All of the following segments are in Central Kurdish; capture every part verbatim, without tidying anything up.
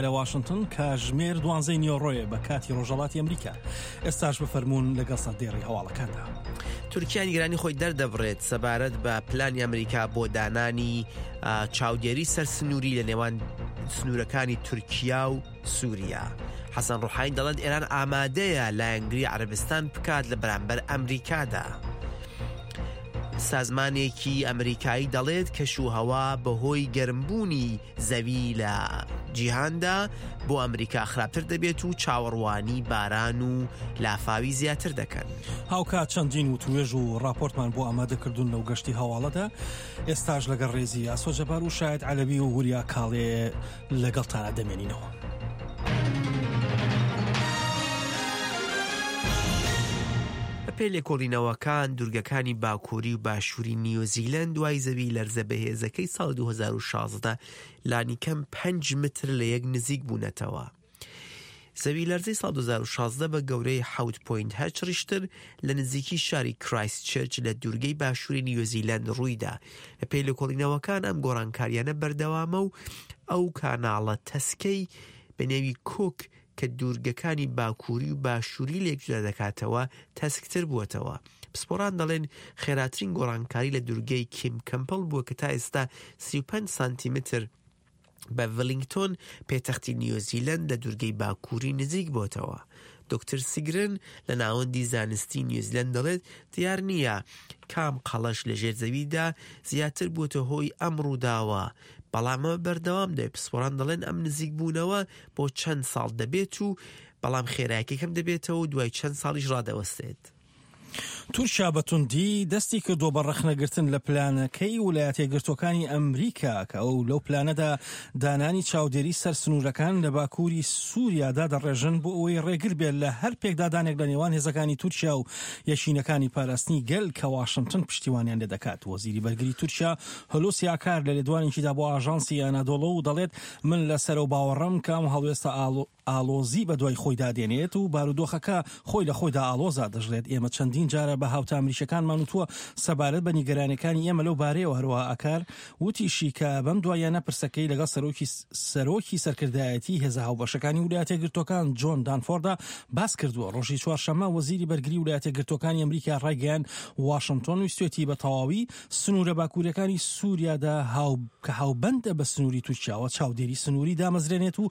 لە واشنتن کاژمێر دوانزەی نیوەڕۆیە بە کاتی ڕۆژهەڵاتی ئەمریکا. ئێستاش بفەرموون لەگەڵ سەردێڕی هەواڵەکاندا. تورکیا نیگەرانی خۆی دەردەبڕێت سەبارەت بە پلانی ئەمریکا بۆ دانانی چاودێری سەر سنووری لە نێوان سنوورەکانی تورکیا و سووریا. حەسەن ڕۆحانی دەڵێت ئێران ئامادەیە لایەنگری عەرەبستان بکات لە بەرامبەر ئەمریکادا. سازمانێکی ئەمریکایی دەڵێت کەش و هەوا بەهۆی گەرمبوونی زەوی لە جیهاندا بۆ ئەمریکا خراپتر دەبێت و چاوەڕوانی باران و لافاوی زیاتر دەکەن. هاوکات چەندین وتوێژ و راپۆرتمان بۆ ئامادەکردون لەو گەشتی هەواڵەدا. ئێستاش لەگەڵ ڕێزی ئاسۆ جەبار و شاید عەلەوی و وریا کاڵێ لەگەڵتانە دەمێنینەوە. پێ لێکۆڵینەوەکان دوورگەکانی باکووری و باشووری نیوزیلەند دوای زەوی لەرزە بەهێزەکەی ساڵ دوو هەزار و شازدە لانیکەم پەنج متر لە یەک نزیک بوونەتەوە. زەوی لەرزەی ساڵ دوو هەزار و شازدە بە گەورەی حەوت پۆینت هەشت ڕیشتر لە نزیکی شاری کرایست چێرچ لە دوورگەی باشووری نیوزیلەند ڕوویدا. بەپێی لێکۆڵینەوەکان ئەم گۆڕانکاریانە بەردەوامە و ئەو کاناڵە تەسکەی بە نێوی کوک کە دوورگەکانی باکووری و باشووری لێک جودا دەکاتەوە تەسکتر بووەتەوە. پسپۆڕان دەڵێن خێراترین گۆڕانکاری لە دوورگەی کیم کەمپڵ بووە کە تا ئێستا سی و پەنج سانتیمتر بە ڤلینگتۆن پێتەختی نیوزیلەند لە دوورگەی باکووری نزیک بۆتەوە. دکتۆر سیگرن لە ناوەندی زانستی نیوزیلەند دەڵێت دیار نییە کام قەڵەش لەژێر زەویدا زیاتر بووتە هۆی ئەم ڕووداوە، بەڵام ئەمە بەردەوام دەبێت. پسپۆڕان دەڵێن ئەم نزیک بوونەوە بۆ چەند ساڵ دەبێت و بەڵام خێرایەکی کەم دەبێتەوە و دوای چەند ساڵیش ڕادەوەستێت. تورکیا بە توندی دەستی کردووە بە ڕەخنەگرتن لە پلانەکەی ویلایەتە یەکگرتووەکانی ئەمریکا کە ئەو لەو پلانەدا دانانی چاودێری سەر سنوورەکان لە باکووری سووریادا دەڕێژن بۆ ئەوەی ڕێگر بێت لە هەر پێکدادانێک لە نێوان هێزەکانی تورکیا و یەکینەکانی پاراستنی گەل کە واشنگتن پشتیوانیان لێ دەکات. وەزیری بەرگری تورکیا هولوسی ئاکار لە لێدوانێکیدا بۆ ئاژانسی ئەنادۆڵۆ دەڵێت من لەسەر و باوەڕم کە ئەم هەڵوێستە ئالۆزی بە دوای خۆیدا دێنێت و بارودۆخەکە خۆی لە خۆیدا ئالۆزا. دەژڵێت ئێمە چەندین جارە بە هاوتا ئەمریکیەکانمان وتووە سەبارەت بە نیگەرانیەکانی ئێمە لەو بارەیەوە. هەروەها ئاکار وتیشی کە بەم دواییانە پرسەکەی لەگەڵ سەرۆکی سەرۆکی سەرکردایەتی هێزە هاوبەشەکانی ویلایەتە یەکگرتووەکان جۆن دانفۆردا باس کردووە. ڕۆژی چوارشەممە وەزیری بەرگری ویلایەتە یەکگرتووەکانی ئەمریکا ڕایگەیاند واشنگتۆن ویستوێتی بە تەواوی سنوورە باکووریەکانی سووریادا کە هاوبەندە بە سنووری تورکیاوە چاودێری سنووری دامەزرێنێت و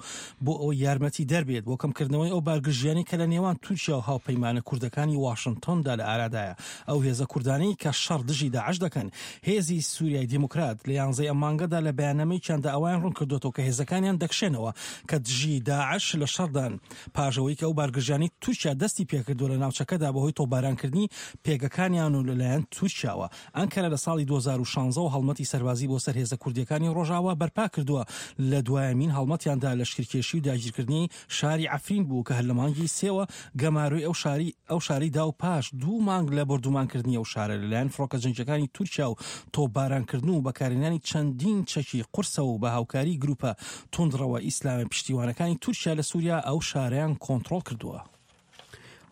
بۆ ئەو یارمەتی دەربێت بۆ کەمکردنەوەی ئەو بارگرژیانەی کە لە نێوان تورکیا و هاوپەیمانە کوردەکانی واشنگتۆندا لە ئارادایە. ئەو هێزە کوردانەی کە شەڕ دژی داعش دەکەن. هێزی سووریای دیموکرات لە یانزەی ئەم مانگەدا لە بەیاننامەیەکیاندا ئەوەیان ڕوون کردوێتەوە کە هێزەکانیان دەکشێنەوە کە دژی داعش لە شەڕدان پاش ئەوەی کە ئەو بارگرژیانەی تورکیا دەستی پێکردووە لە ناوچەکەدا بەهۆی تۆپبارانکردنی پێگەکانیان و لەلایەن تورکیاوە. ئەنکەرە لە ساڵی دوو هەزار و شازدە هەڵمەتی سەربازی بۆ سەر هێزە کوردیەکانی ڕۆژاوا بەرپا کردووە. لە دوایەمین هەڵمەتیاندا لەشکرکێشی و داگیرکردنی شاری عەفرین بوو کە هەر لە مانگی سێوە گەمارۆی ئەو شاری ئەو شاری دا و پاش دوو مانگ لە بۆردومانکردنی ئەو شارە لەلایەن فڕۆکە جەنگیەکانی تورکیا و تۆپبارانکردن و بەکارهێنانی چەندین چەکی قورسە و بە هاوکاری گروپە توندڕەوە ئیسلامی پشتیوانەکانی تورکیا لە سووریا ئەو شارەیان کۆنترۆڵ کردووە.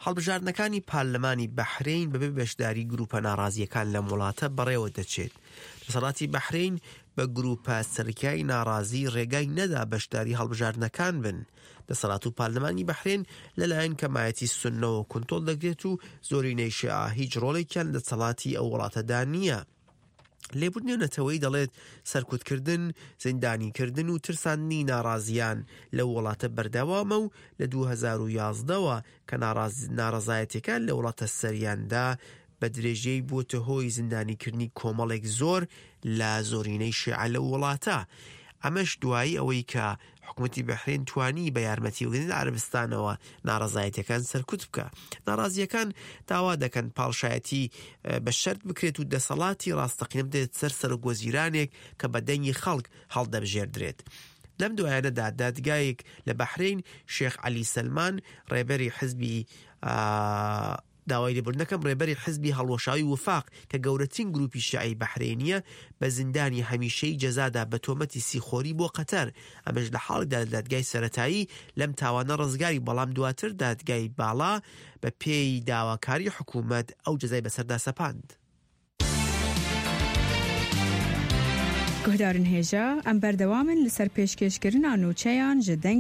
هەڵبژاردنەکانی پارلەمانی بەحرین بەبێ بەشداری گروپە ناڕازیەکان لەم وڵاتە بەڕێوە دەچێت. دەسەڵاتی بەحرین بە گروپە سەرکای ناڕازی ڕێگای نەدا بەشداری هەڵبژاردنەکان بن. دەسەڵات و پارلەمانی بەحرین لەلایەن کەمایەتی سوننەوە کۆنترۆڵ دەکرێت و زۆرینەی شیعە هیچ ڕۆڵێکیان دەسەڵاتی ئەو وڵاتەدا نییە. لێبوردنی نەتەوەی دەڵێت سەرکوتکردن، زیندانیکردن و ترساندنی ناڕازیان لەو وڵاتە بەردەوامە و لە دوو هەزار و یازدەوە کە ناڕەزایەتیەکان لە وڵاتە سەریاندا بە درێژەی بووتە هۆی زیندانیکردنی کۆمەڵێک زۆر لە زۆرینەی شیعە لەو وڵاتە. ئەمەش دوایی ئەوەی کە حکوومەتی بەحرین توانی بە یارمەتی وگرن عەرەبستانەوە ناڕەزایەتیەکان سەرکوت بکە. ناڕازیەکان داوا دەکەن پاڵشایەتی بە شەرت بکرێت و دەسەڵاتی ڕاستەقینە بدرێت سەر سەرۆک وەزیرانێک کە بە دەنگی خەڵک هەڵدەبژێردرێت. لەم دوایانەدا دادگایەک لە بەحرین شێخ عەلی سەلمان ڕێبەری حزبی داوای لێبوردنەکەم ڕێبەری حزبی هەڵوەشاوی وفاق کە گەورەترین گروپی شیعەی بەحرینیە بە زیندانی هەمیشەی جەزادا بە تۆمەتی سیخۆری بۆ قەتەر. ئەمەش لە حاڵیدا لە دادگای سەرەتایی لەم تاوانە ڕزگاری، بەڵام دواتر دادگای باڵا بە پێی داواکاری حکوومەت ئەو جەزای بەسەردا سەپاند. Guhdarên hêja, em berdewam in li ser pêşkêşkirina nûçeyan ji dengê